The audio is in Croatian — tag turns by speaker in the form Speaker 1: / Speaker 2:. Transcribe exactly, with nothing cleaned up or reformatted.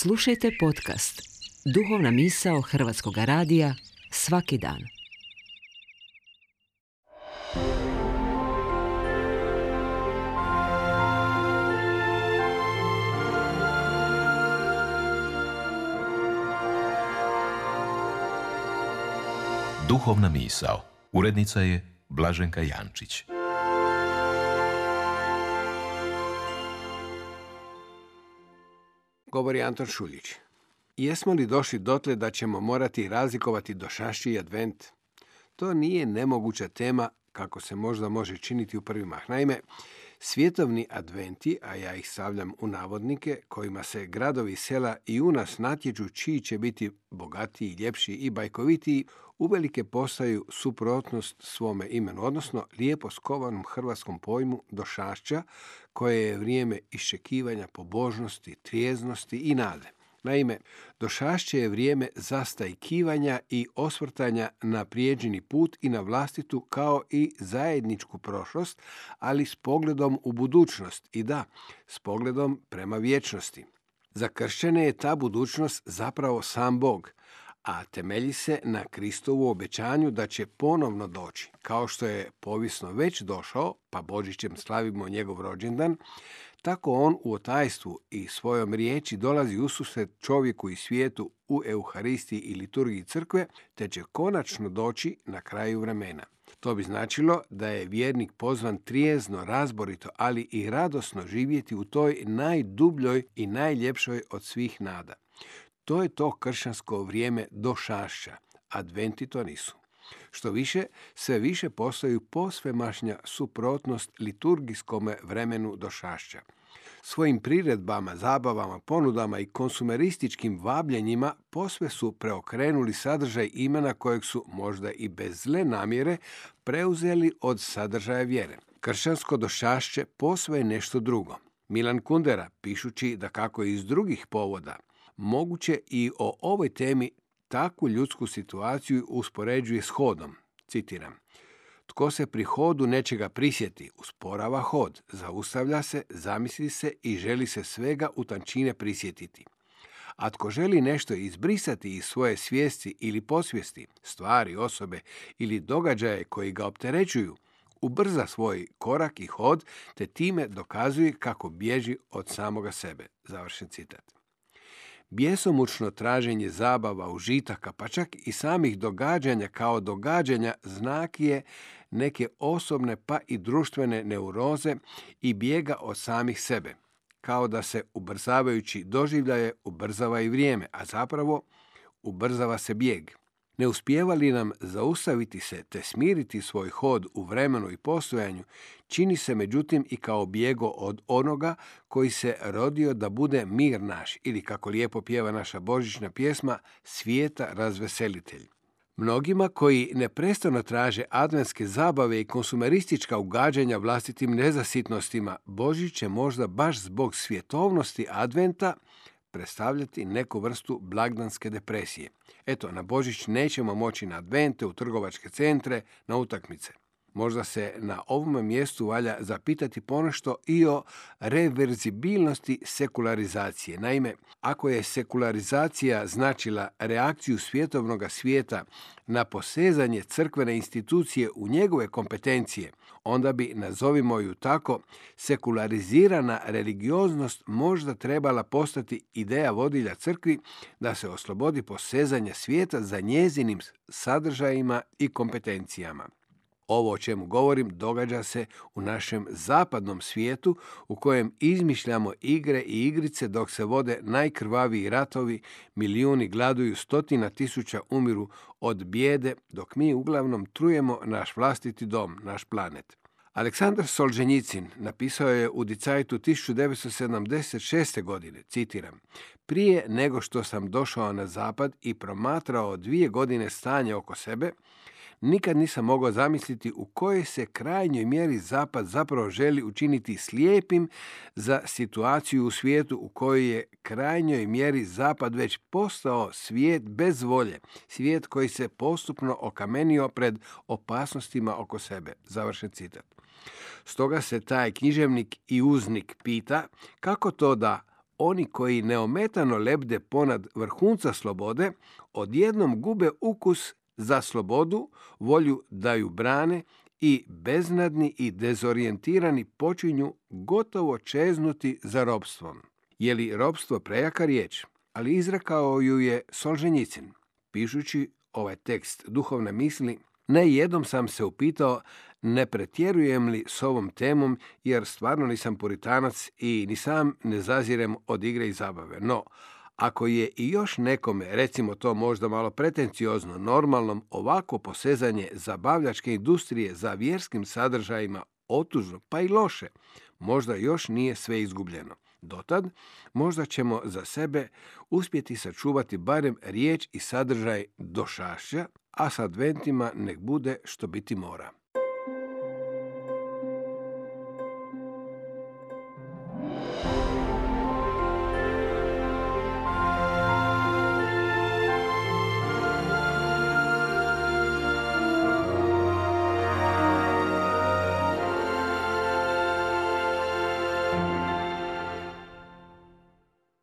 Speaker 1: Slušajte podcast Duhovna misao Hrvatskog radija svaki dan.
Speaker 2: Duhovna misao. Urednica je Blaženka Jančić.
Speaker 3: Govori Anton Šuljić. Jesmo li došli dotle da ćemo morati razlikovati došašće i advent? To nije nemoguća tema kako se možda može činiti u prvi mah. Naime, svjetovni adventi, a ja ih stavljam u navodnike, kojima se gradovi i sela i u nas natječu čiji će biti bogatiji, ljepši i bajkovitiji, uvelike postaju suprotnost svome imenu, odnosno lijepo skovanom hrvatskom pojmu došašća, koje je vrijeme iščekivanja pobožnosti, trijeznosti i nade. Naime, došašće je vrijeme zastajkivanja i osvrtanja na prijeđeni put i na vlastitu kao i zajedničku prošlost, ali s pogledom u budućnost i da, s pogledom prema vječnosti. Za kršćane je ta budućnost zapravo sam Bog, a temelji se na Kristovu obećanju da će ponovno doći. Kao što je povijesno već došao, pa Božićem slavimo njegov rođendan, tako on u otajstvu i svojom riječi dolazi ususret čovjeku i svijetu u Euharistiji i liturgiji crkve, te će konačno doći na kraju vremena. To bi značilo da je vjernik pozvan trijezno, razborito, ali i radosno živjeti u toj najdubljoj i najljepšoj od svih nada. To je to kršćansko vrijeme došašća. Adventi to nisu. Što više, sve više postaju posvemašnja suprotnost liturgijskome vremenu došašća. Svojim priredbama, zabavama, ponudama i konsumerističkim vabljenjima posve su preokrenuli sadržaj imena kojeg su, možda i bez zle namjere, preuzeli od sadržaja vjere. Kršćansko došašće posve je nešto drugo. Milan Kundera, pišući da kako iz drugih povoda, moguće i o ovoj temi takvu ljudsku situaciju uspoređuje s hodom. Citiram: tko se pri hodu nečega prisjeti, usporava hod, zaustavlja se, zamisli se i želi se svega u tančine prisjetiti. A tko želi nešto izbrisati iz svoje svijesti ili posvijesti, stvari, osobe ili događaje koji ga opterećuju, ubrza svoj korak i hod, te time dokazuje kako bježi od samoga sebe. Završen citat. Bjesomučno traženje zabava, užitaka, pa čak i samih događanja kao događanja znak je neke osobne pa i društvene neuroze i bijega od samih sebe. Kao da se ubrzavajući doživljaje ubrzava i vrijeme, a zapravo ubrzava se bijeg. Ne uspijeva li nam zaustaviti se te smiriti svoj hod u vremenu i postojanju, čini se međutim i kao bijego od onoga koji se rodio da bude mir naš, ili kako lijepo pjeva naša božićna pjesma, svijeta razveselitelj. Mnogima koji neprestano traže adventske zabave i konsumeristička ugađanja vlastitim nezasitnostima, Božić će možda baš zbog svjetovnosti adventa predstavljati neku vrstu blagdanske depresije. Eto, na Božić nećemo moći na advente, u trgovačke centre, na utakmice. Možda se na ovom mjestu valja zapitati ponešto i o reverzibilnosti sekularizacije. Naime, ako je sekularizacija značila reakciju svjetovnog svijeta na posezanje crkvene institucije u njegove kompetencije, onda bi, nazovimo ju tako, sekularizirana religioznost možda trebala postati ideja vodilja crkvi da se oslobodi posezanja svijeta za njezinim sadržajima i kompetencijama. Ovo o čemu govorim događa se u našem zapadnom svijetu u kojem izmišljamo igre i igrice dok se vode najkrvaviji ratovi, milijuni gladuju, stotina tisuća umiru od bijede, dok mi uglavnom trujemo naš vlastiti dom, naš planet. Aleksandar Solženjicin napisao je u Die Zeitu tisuću devetsto sedamdeset šeste. godine, citiram: prije nego što sam došao na zapad i promatrao dvije godine stanje oko sebe, nikad nisam mogao zamisliti u kojoj se krajnjoj mjeri zapad zapravo želi učiniti slijepim za situaciju u svijetu u kojoj je krajnjoj mjeri zapad već postao svijet bez volje, svijet koji se postupno okamenio pred opasnostima oko sebe. Završen citat. Stoga se taj književnik i uznik pita kako to da oni koji neometano lebde ponad vrhunca slobode, odjednom gube ukus za slobodu, volju da ju brane i beznadni i dezorijentirani počinju gotovo čeznuti za ropstvom. Je li ropstvo prejaka riječ? Ali izrekao ju je Solženjicin. Pišući ovaj tekst duhovne misli, ne jednom sam se upitao ne pretjerujem li s ovom temom, jer stvarno nisam puritanac i ni sam ne zazirem od igre i zabave. No, ako je i još nekome, recimo to možda malo pretenciozno, normalnom ovako posezanje zabavljačke industrije za vjerskim sadržajima otužno, pa i loše, možda još nije sve izgubljeno. Dotad, možda ćemo za sebe uspjeti sačuvati barem riječ i sadržaj došašća, a s adventima nek bude što biti mora.